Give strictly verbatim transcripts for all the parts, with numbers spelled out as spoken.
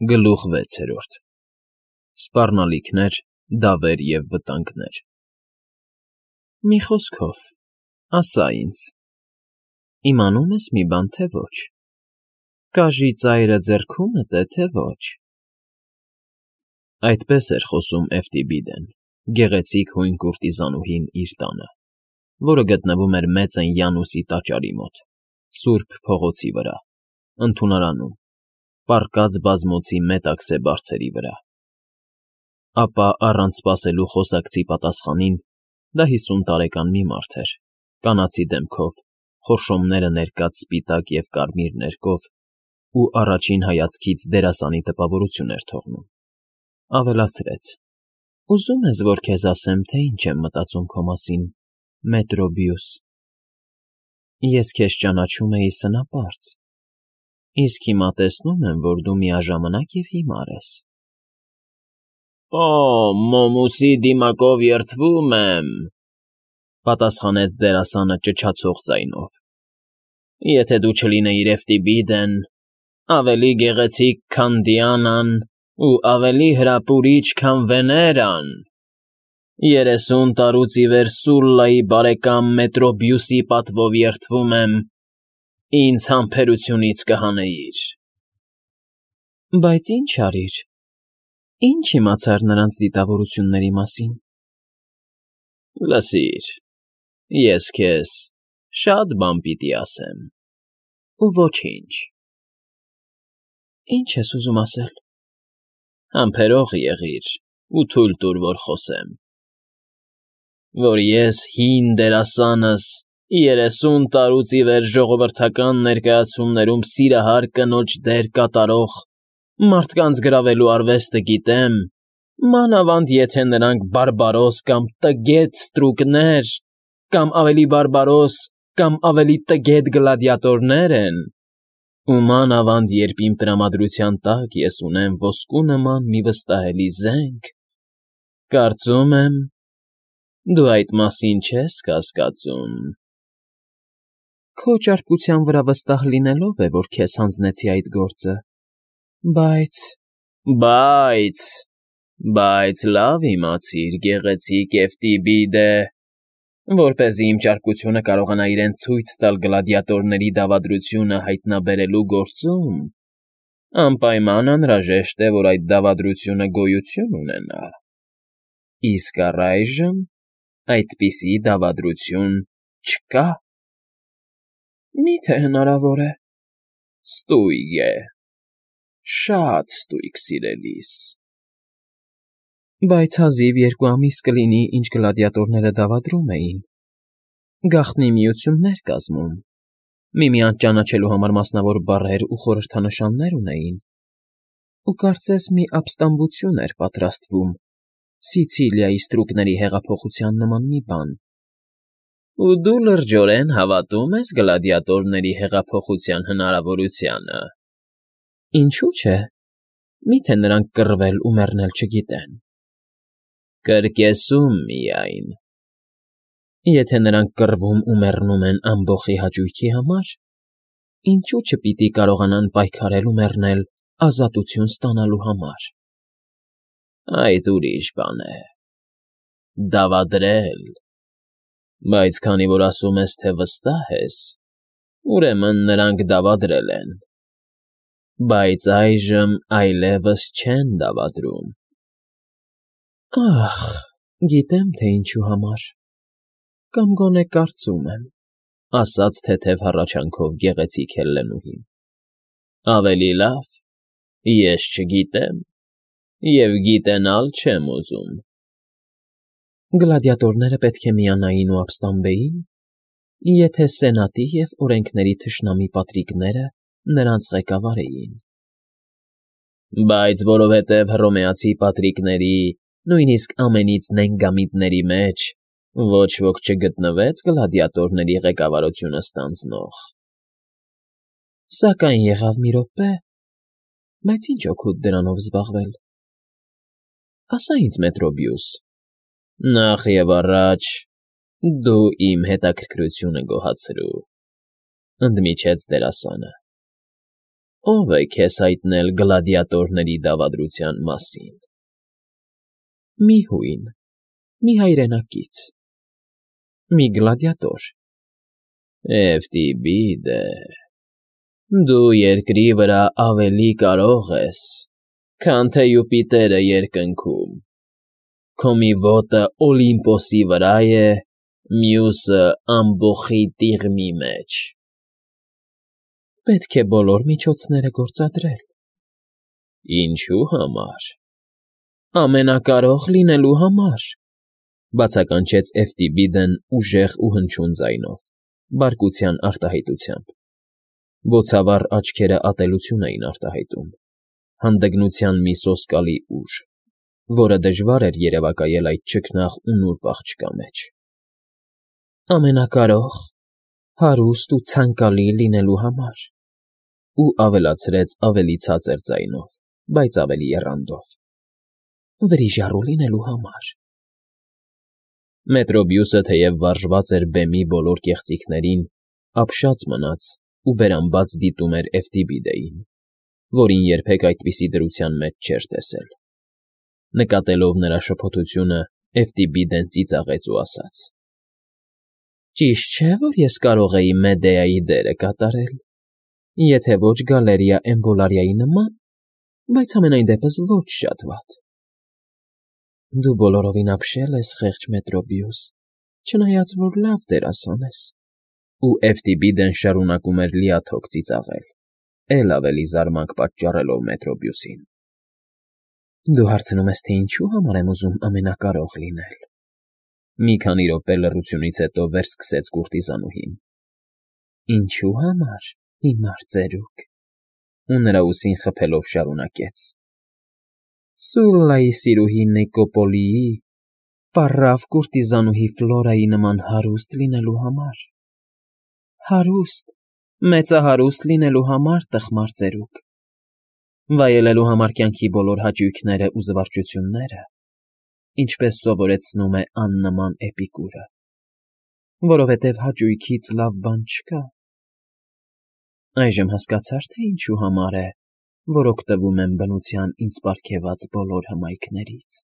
Գլուխ վեցերորդ Սպառնալիքներ, դավեր և վտանգներ Մի խոսքով, ասա ինձ, իմանո՞ւմ ես մի բան, թե ոչ, կաժի ծայրը ձեռքումդ է, թե ոչ… Այդպես էր խոսում Էֆթիբիդեն, գեղեցիկ հույն կուրտիզանուհին իր տանը, որը գտնվում էր Մեծն Յանուսի տաճարի մոտ, սուրբ փողոցի վրա, ընդունարանում, պառկած բազմոցի մետաքսե բարձերի վրա, ապա առանց սպասելու խոսակցի պատասխանին դա հիսուն տարեկան մի մարդ էր, կանացի դեմքով, խորշոմները ներկած սպիտակ և կարմիր ներկով ու առաջին հայացքից դերասանի տպավորություն էր թողնում, ավելացրեց. «Ուզո՞ւմ ես, որ քեզ ասեմ, թե ինչ եմ մտածում քո մասին, Մետրոբիուս… Ես քեզ ճանաչում էի սնապարծ, իսկ հիմա տեսնում եմ, որ դու միաժամանակ և հիմար ես»։ ֊ Օ՜, մոմուսի դիմակով երդվում եմ,֊ պատասխանեց դերասանը ճչացող ձայնով,֊ եթե դու չլինեիր Էֆթիբիդեն, ավելի գեղեցիկ, քան Դիանան ու ավելի հրապուրիչ, քան Վեներան, երեսուն տարուց ի վեր Սուլլայի բարեկամ Մետրոբիուսի պատվով երդվում եմ, ինձ համբերությունից կհանեիր… ֊ Բայց ի՞նչ արիր, ի՞նչ իմացար նրանց դիտավորությունների մասին… ֊ Լսիր, ես քեզ շատ բան պիտի ասեմ ու ոչինչ… ֊ Ի՞նչ ես ուզում ասել… ֊ Համբերող եղիր ու թույլ տուր, որ խոսեմ… Որ ես հին դերասանս, երեսուն տարուց ի վեր ժողովրդական ներկայացումներում սիրահար կնոջ դեր կատարող, մարդկանց գրավելու արվեստը գիտեմ, մանավանդ եթե նրանք բարբարոս կամ տգետ ստրուկներ կամ ավելի բարբարոս կամ ավելի տգետ գլադիատորներ են, ու մանավանդ երբ իմ տրամադրության տակ ես ունեմ ոսկու նման մի վստահելի զենք, կարծում եմ, դու այդ մասին չես կասկածում… ֊ Քո ճարպկության վրա վստահ լինելով է, որ քեզ հանձնեցի այդ գործը, բայց… ֊ Բայց… Բայց լավ իմացիր, գեղեցիկ Էֆթիբիդե, որպեսզի իմ ճարպկությունը կարողանա իրեն ցույց տալ գլադիատորների դավադրությունը հայտնաբերելու գործում, անպայման անհրաժեշտ է, որ այդ դավադրությունը գոյություն ունենա, իսկ առայժմ այդպիսի դավադրություն չկա… ֊ Մի՞թե հնարավոր է… ֊ Ստույգ է, շատ ստույգ, սիրելիս… ֊ Բայց հազիվ երկու ամիս կլինի, ինչ գլադիատորները դավադրում էին, գաղտնի միություններ կազմում, միմյանց ճանաչելու համար մասնավոր բառեր ու խորհրդանշաններ ունեին, ու կարծես մի ապստամբություն էր պատրաստվում, Սիցիլիայի ստրուկների հեղափոխության նման մի բան… ֊ Ու դու լրջորեն հավատում ես գլադիատորների հեղափոխության հնարավորությանը… ֊ Ինչո՞ւ չէ, մի՞թե նրանք կռվել ու մեռնել չգիտեն… ֊ Կրկեսում միայն… Եթե նրանք կռվում ու մեռնում են ամբոխի հաճույքի համար, ինչո՞ւ չպիտի կարողանան պայքարել ու մեռնել ազատություն ստանալու համար… ֊ Այդ ուրիշ բան է… Դավադրել… Բայց քանի որ ասում ես, թե վստահ ես, ուրեմն նրանք դավադրել են… Բայց այժմ այլևս չեն դավադրում… ֊ Ա՜խ, գիտեմ, թե ինչու համար, կամ գոնե կարծում եմ,֊ ասաց թեթև հառաչանքով գեղեցիկ Հելլենուհին,֊ ավելի լավ, ես չգիտեմ և գիտենալ չեմ ուզում… ֊ Գլադիատորները պետք է միանային ու ապստամբեին, եթե Սենատի և օրենքների թշնամի պատրիկները նրանց ղեկավարեին… ֊ Բայց որովհետև հռոմեացի պատրիկների, նույնիսկ ամենից նենգամիտների մեջ ոչ ոք չգտնվեց գլադիատորների ղեկավարությունը ստանձնող… ֊ Սակայն եղավ մի րոպե… Բայց ի՞նչ օգուտ դրանով զբաղվել… Ասա ինձ, Մետրոբիուս… Նախ և առաջ դու իմ հետաքրքրությունը գոհացրու,֊ ընդմիջեց դերասանը։ Ո՞վ է քեզ հայտնել գլադիատորների դավադրության մասին։ Մի հույն, մի հայրենակից, մի գլադիատոր։ Էվտիբիդե, դու երկրի վրա ավելի կարող ես, քան թե Յուպիտերը երկնքում, քո մի ոտը Օլիմպոսի վրա է, մյուսը ամբոխի տիղմի մեջ։ Պետք է բոլոր միջոցները գործադրել։ Ինչու համար։ Ամենակարող լինելու համար, բացականչեց Էվտիբիդեն ուժեղ ու հնչյուն ձայնով, բարկության արտահայտությամբ։ Բոցավառ աչքերը ատելություն էին արտահայտում, հանդգնության մի սոսկալի ուժ, որը դժվար էր երևակայել այդ չքնաղ ու նուրբ աղջկա մեջ։ Ամենակարող, հարուստ ու ցանկալի լինելու համար։ Ու ավելացրեց ավելի ցածր ձայնով, բայց ավելի եռանդով. Վրիժառու լինելու համար։ Մետրոբիուսը թեև վարժված էր բեմի բոլոր կեղծիքներին, ապշած մնաց ու բերանբաց դիտում էր Էվտիբիդեին, որին երբեք այդպիսի դրության մեջ չէր տեսել։ Նկատելով նրա շփոթությունը, Էվտիբիդեն ծիծաղեց ու ասաց. Ճիշտ չէ, որ ես կարող էի Մեդեայի դերը կատարել, եթե ոչ Գալերիա Էմբոլարիայի նման, բայց համենայն դեպս ոչ շատ վատ։ Դու բոլորովին ապշել ես, խեղճ Մետրոբիուս, չնայած որ լավ դերասան ես։ Ու Էվտիբիդեն շարունակում էր լիաթոք ծիծաղել, էլ ավելի զարմանք պատճառելով Մետրոբիուսին։ Դու հարցնում ես, թե ինչու համար եմ ուզում ամենակարող լինել։ Մի քանի րոպե լռությունից հետո վերսկսեց կուրտիզանուհին։ Ինչու համար, հիմար ծերուկ։ Ու նրա ուսին խփելով շարունակեց. Սուլլայի սիրուհի Նիկոպոլիի, պառավ կուրտիզանուհի Ֆլորայի նման հարուստ լինելու համար։ Հարուստ, մեծահարուստ լինելու համար, տխմար ծերուկ։ Վայելելու համար կյանքի բոլոր հաճույքները ու զվարճությունները, ինչպես սովորեցնում է աննման Էպիկուրը, որովհետև հաճույքից լավ բան չկա։ Այժմ հասկացա՞ր, թե ինչու համար է, որ օգտվում եմ բնության ինձ պարգևած բոլոր հմայքներից։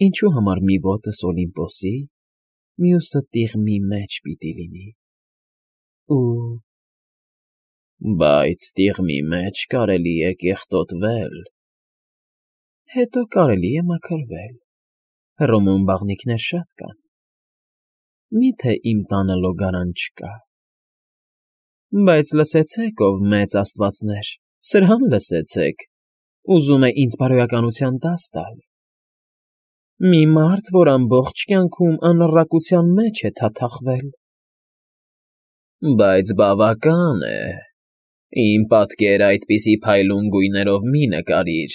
Ինչու համար մի ոտս Օլիմպոսի, մյուսը տիղմի մեջ պիտի լինի։ Ու… Բայց տիղմի մեջ կարելի է կեղտոտվել։ Հետո կարելի է մաքրվել։ Հռոմում բաղնիքներ շատ կան։ Մի՞թե իմ տանը լոգարան չկա։ Բայց լսեցեք, ով մեծ աստվածներ, սրհան լսեցեք, ուզում է ինձ բարոյականության դաս տալ։ Մի մարդ, որ ամբողջ կյանքում անառակության մեջ է թաթախվել։ Բայց բավական է, իմ պատկերը այդպիսի փայլուն գույներով մի նկարիր,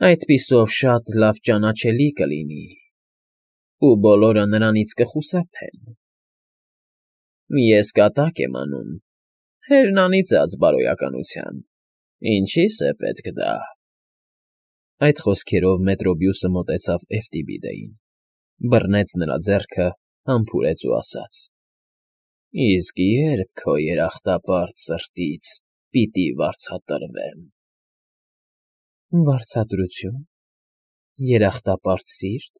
այդպիսով շատ լավ ճանաչելի կլինի, ու բոլորը նրանից կխուսափեն։ Ես կատակ եմ անում, հեռնանիծած բարոյականության, ինչի՞ս է պետք դա։ Այդ խոսքերով Մետրոբիուսը մոտեցավ Էվտիբիդեին, բռնեց նրա ձեռքը, համբուրեց ու ասաց. Իսկ երբ քո երախտապարտ սրտից պիտի վարձատրվեմ։ Վարձատրություն, երախտապարտ սիրտ։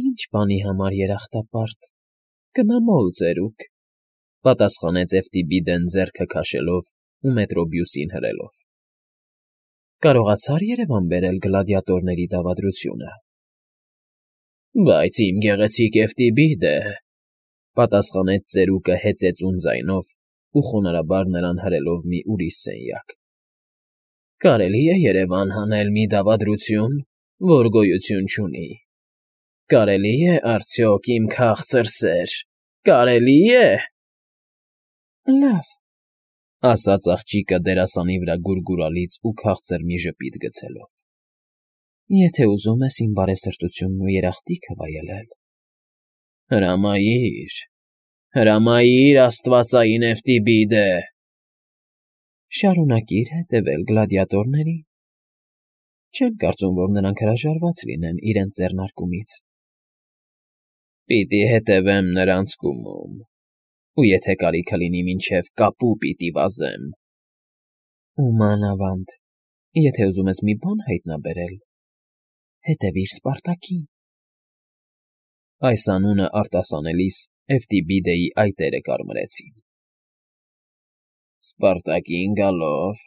Ինչ բանի համար երախտապարտ, կնամոլ ծերուկ, պատասխանեց Էվտիբիդեն ձեռքը քաշելով ու Մետրոբիուսին հրելով։ Կարողացա՞ր երևան բերել գլադիատորների դավադրությունը։ Բայց իմ գեղեցիկ Էվտիբիդե, պատասխանեց ծերուկը հեծեծուն ձայնով ու խոնարհաբար նրան հրելով մի ուրիշ սենյակ։ Կարելի է երևան հանել մի դավադրություն, որ գոյություն չունի։ Կարելի է արդյոք իմ քաղցր սեր, կարելի է։ Լավ, ասաց աղջիկը դերասանի վրա գուրգուրալից ու քաղցր մի ժպիտ գցելով։ Եթե ուզում ես իմ բարեսրտությունն ու երախտիքը վայելել։ Հրամայիր, հրամայիր աստվածային Էվտիբիդե։ Շարունակիր հետևել գլադիատորներին։ Չեմ կարծում, որ նրանք հրաժարված լինեն իրենց ձեռնարկումից։ Պիտի հետևեմ նրանց կումում, ու եթե կարիքը լինի մինչև կապու պիտի վազեմ։ Ու մանավանդ, եթե ուզում ես մի բան հայտնաբերել, հետևիր Սպարտակին։ Այս անունը արտասանելիս Էվտիբիդեի այտերը կարմրեցին։ Սպարտակին գալով,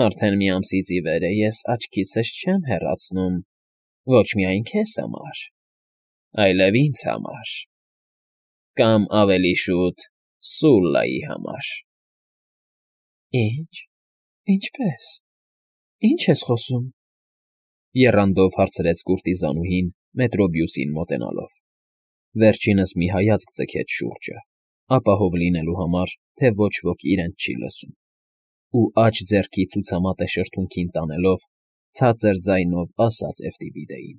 արդեն մի ամսից ի վեր է ես աչքիցս չեմ հեռացնում ոչ միայն քեզ համար, այլև ինձ համար, կամ ավելի շուտ Սուլլայի համար։ Ի՞նչ, ինչպե՞ս, ի՞նչ ես խոսում, եռանդով հարցրեց կուրտիզանուհին Մետրոբիուսին մոտենալով, վերջինս մի հայացք ձգեց շուրջը, ապահով լինելու համար, թե ոչ ոք իրեն չի լսում, ու աջ ձեռքի ցուցամատը շրթունքին տանելով, ցածր ձայնով ասաց Էվտիբիդեին.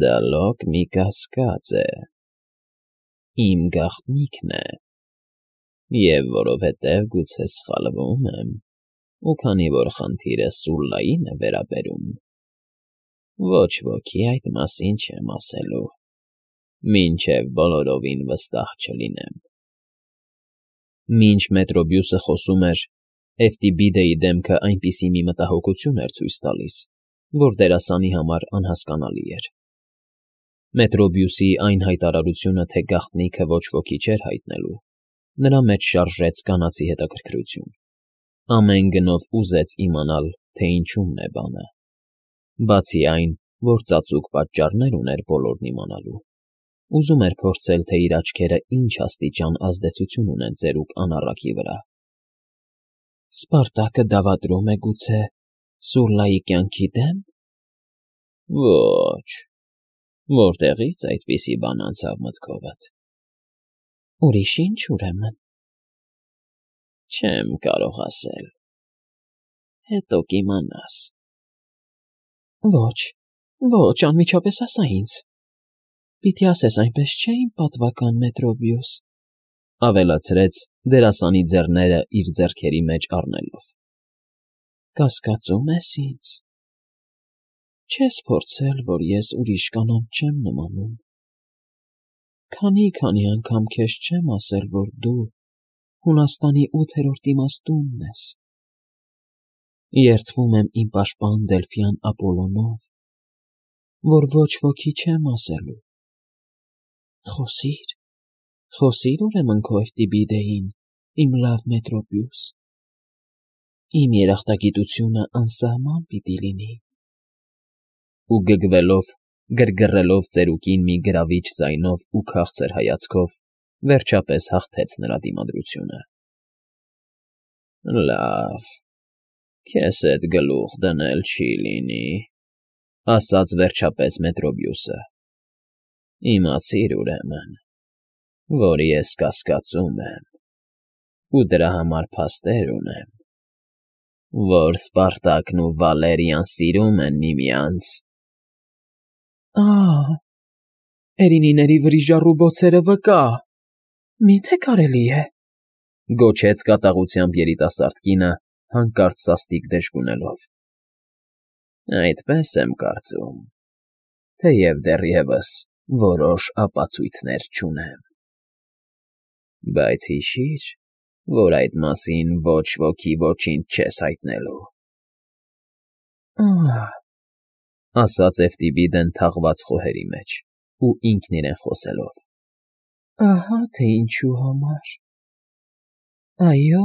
Դա լոկ մի կասկած է, իմ գաղտնիքն է, և որովհետև գուցե սխալվում եմ, ու քանի որ խնդիրը Սուլլային է վերաբերում, ոչ ոքի այդ մասին չեմ ասելու, մինչև բոլորովին վստահ չլինեմ։ Մինչ Մետրոբիուսը խոսում էր, Էվտիբիդեի դեմքը այնպիսի մի մտահոգություն էր ցույց տալիս, որ դերասանի համար անհասկանալի էր։ Մետրոբիուսի այն հայտարարությունը, թե գաղտնիքը ոչ ոքի չէր հայտնելու, նրա մեջ շարժեց կանացի հետաքրքրություն, ամեն գնով ուզեց իմանալ, թե ինչումն է բանը, բացի այն, որ ծածուկ պատճառներ ուներ բոլորն իմանալու, ուզում էր փորձել, թե իր աչքերը ինչ աստիճան ազդեցություն ունեն ծերուկ անառակի վրա։ Սպարտակը դավադրում է գուցե Սուլլայի կյանքի դեմ։ Ոչ, որտեղից այդպիսի բան անցավ մտքովդ։ Ուրիշ ինչ ուրեմն։ Չեմ կարող ասել։ Հետո կիմանաս։ Ոչ, ոչ, անմիջապես ասա ինձ։ Պիտի ասես այնպես չէ, իմ պատվական Մետրոբիուս, ավելացրեց դերասանի ձեռները իր ձեռքերի մեջ առնելով։ Կասկածում ես ինձ։ Չես փորձել, որ ես ուրիշ կանանց չեմ նմանում։ Քանի՛֊քանի անգամ քեզ չեմ ասել, որ դու Հունաստանի ութերորդ իմաստունն ես։ Երդվում եմ իմ պաշտպան Դելֆյան Ապոլոնով, որ ոչ ոքի չեմ ասելու։ Խոսի՛ր, խոսի՛ր ուրեմն քո Էվտիբիդեին, իմ լավ Մետրոբիուս։ Իմ երախտագիտությունը անսահման պիտի լինի։ Ու գգվելով, գրգռելով ծերուկին մի գրավիչ ձայնով ու քաղցր հայացքով, վերջապես հաղթեց նրա դիմադրությունը։ Լավ, քեզ հետ գլուխ դնել չի լինի, ասաց վերջապես Մետրոբիուսը։ Իմացիր ուրեմն, որ ես կասկածում եմ, ու դրա համար փաստեր ունեմ, որ Սպարտակն ու Վալերիան սիրում են միմյանց։ Ահ, էրինիների վրիժառու բոցերը վկա, մի՞թե կարելի է, գոչեց կատաղությամբ երիտասարդ կինը, հանկարծ սաստիկ դժգունելով։ Այդպես եմ կարծում, թեև դեռևս որոշ ապացույցներ չունեմ։ Բայց հիշիր, որ այդ մասին ոչ ոքի ոչինչ չես հայտնելու։ Ահ, ասաց Էվտիբիդեն թաղված խոհերի մեջ ու ինքն իրեն խոսելով։ Ահա թե ինչու համար։ Այո,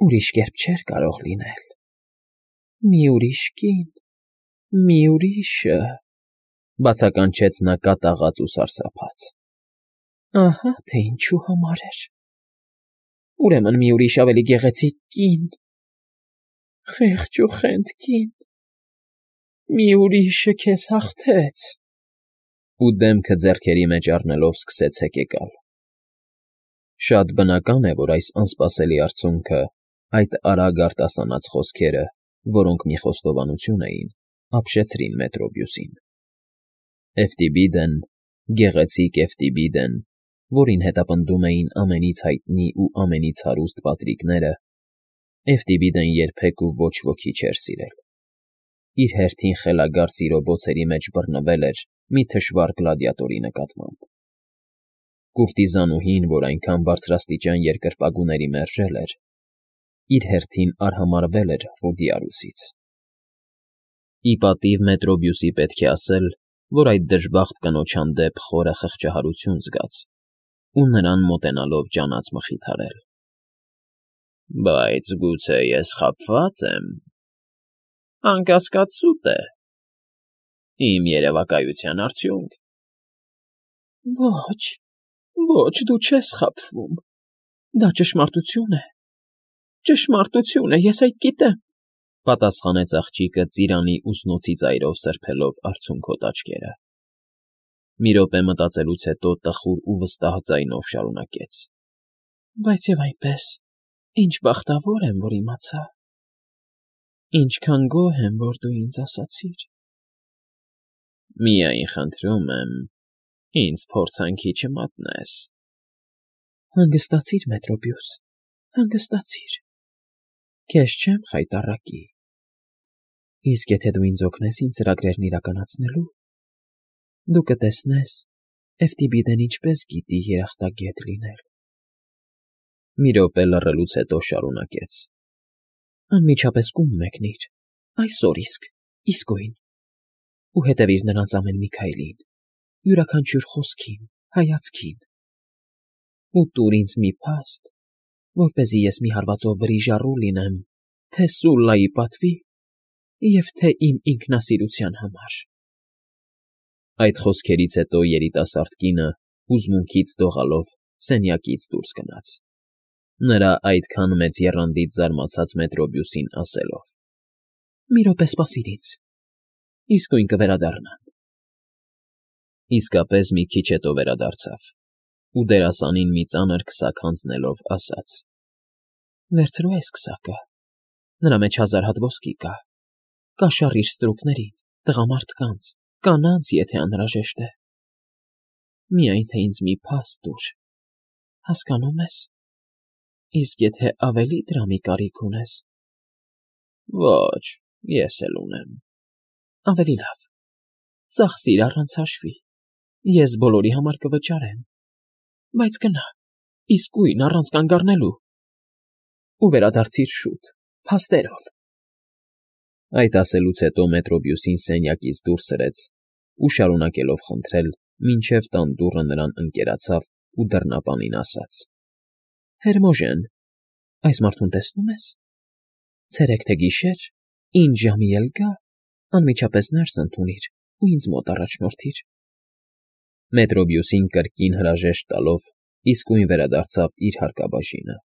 ուրիշ կերպ չէր կարող լինել։ Մի ուրիշ կին, մի ուրիշը, բացականչեց նա կատաղած ու սարսափած։ Ահա թե ինչու համար էր։ Ուրեմն մի ուրիշ ավելի գեղեցիկ կին, խեղճ ու խենթ կին, մի ուրիշը քեզ հաղթեց։ Ու դեմքը ձեռքերի մեջ առնելով սկսեց հեկեկալ։ Շատ բնական է, որ այս անսպասելի արդյունքը, այդ արագ արտասանած խոսքերը, որոնք մի խոստովանություն էին, ապշեցրին Մետրոբիուսին։ Էվտիբիդեն, գեղեցիկ Էվտիբիդեն, որին հետապնդում էին ամենից հայտնի ու ամենից հարուստ պատրիկները, Էվտիբիդեն երբեք ու ոչ ոքի չէր սիրել։ Իր հերթին խելագար սիրո բոցերի մեջ բռնվել էր մի թշվառ գլադիատորի նկատմամբ։ Կուրտիզանուհին, որ այնքան բարձրաստիճան երկրպագուների մերժել էր, իր հերթին արհամարհվել էր Ռուդիարուսից։ Ի պատիվ Մետրոբիուսի պետք է ասել, որ այդ դժբախտ կնոջ հանդեպ խորը խղճահարություն զգաց ու նրան մոտենալով ջանաց մխիթարել։ ֊ Բայց գուցե ես խաբվա՞ծ եմ, անկասկած սուտ է, իմ երևակայության արդյունք։ ֊ Ոչ, ոչ, դու չես խաբվում, դա ճշմարտություն է, ճշմարտություն է, ես այդ գիտեմ,֊ պատասխանեց աղջիկը ծիրանի ուսնոցի ծայրով սրբելով արցունքոտ աչքերը։ Մի րոպե մտածելուց հետո տխուր ու վստահ ձայնով շարունակեց. ֊ Բայց և այնպես, ինչ բախտավոր եմ, որ իմացա, ինչքան գոհ եմ, որ դու ինձ ասացիր։ ֊ Միայն խնդրում եմ, ինձ փորձանքի չմատնես։ ֊ Հանգստացիր, Մետրոբիուս, հանգստացիր, քեզ չեմ խայտառակի։ Իսկ եթե դու ինձ օգնես իմ ծրագրերն իրականացնելու, դու կտեսնես Էֆտիբիդեն ինչպես գիտի երախտագետ լինել։ Մի րոպե լռելուց հետո շարունակեց. ֊ Անմիջապես կում մեկնիր, այսօր իսկ, իսկույն, ու հետևիր նրանց ամեն մի քայլին, յուրաքանչյուր խոսքին, հայացքին, ու տուր ինձ մի փաստ, որպեսզի ես մի հարվածով վրիժառու լինեմ թե Սուլլայի պատվի և թե իմ ինքնասիրության համար։ Այդ խոսքերից հետո երիտասարդ կինը հուզմունքից դողալով սենյակից դուրս գնաց, նրա այդքան մեծ եռանդից զարմացած Մետրոբիուսին ասելով. ֊ Մի րոպե սպասիր ինձ, իսկույն կվերադառնամ։ Իսկապես մի քիչ հետո վերադարձավ ու դերասանին մի ծանր քսակ հանձնելով ասաց. ֊ Վերցրու այս քսակը, նրա մեջ հազար հատ ոսկի կա, կաշառիր ստրուկներին, տղամարդկանց, կանանց, եթե անհրաժեշտ է։ Միայն թե ինձ մի փաստ տուր, հասկանո՞ւմ ես, իսկ եթե ավելի դրամի կարիք ունես… ֊ Ոչ, ես էլ ունեմ։ ֊ Ավելի լավ, ծախսիր առանց հաշվի, ես բոլորի համար կվճարեմ, բայց գնա, իսկույն, առանց կանգ առնելու, ու վերադարձիր շուտ, փաստերով։ Այդ ասելուց հետո Մետրոբիուսին սենյակից դուրս սրեց ու շարունակելով խնդրել, մինչև տան դուռը նրան ընկերացավ ու դռնապանին ասաց. ֊ Հերմոժեն, այս մարդուն տեսնո՞ւմ ես, ցերեկ թե գիշեր, ինչ ժամի էլ գա, անմիջապես ներս ընդունիր ու ինձ մոտ առաջնորդիր։ Մետրոբիուսին կրկին հրաժեշտ տալով իսկույն վերադարձավ իր հարկաբաժինը։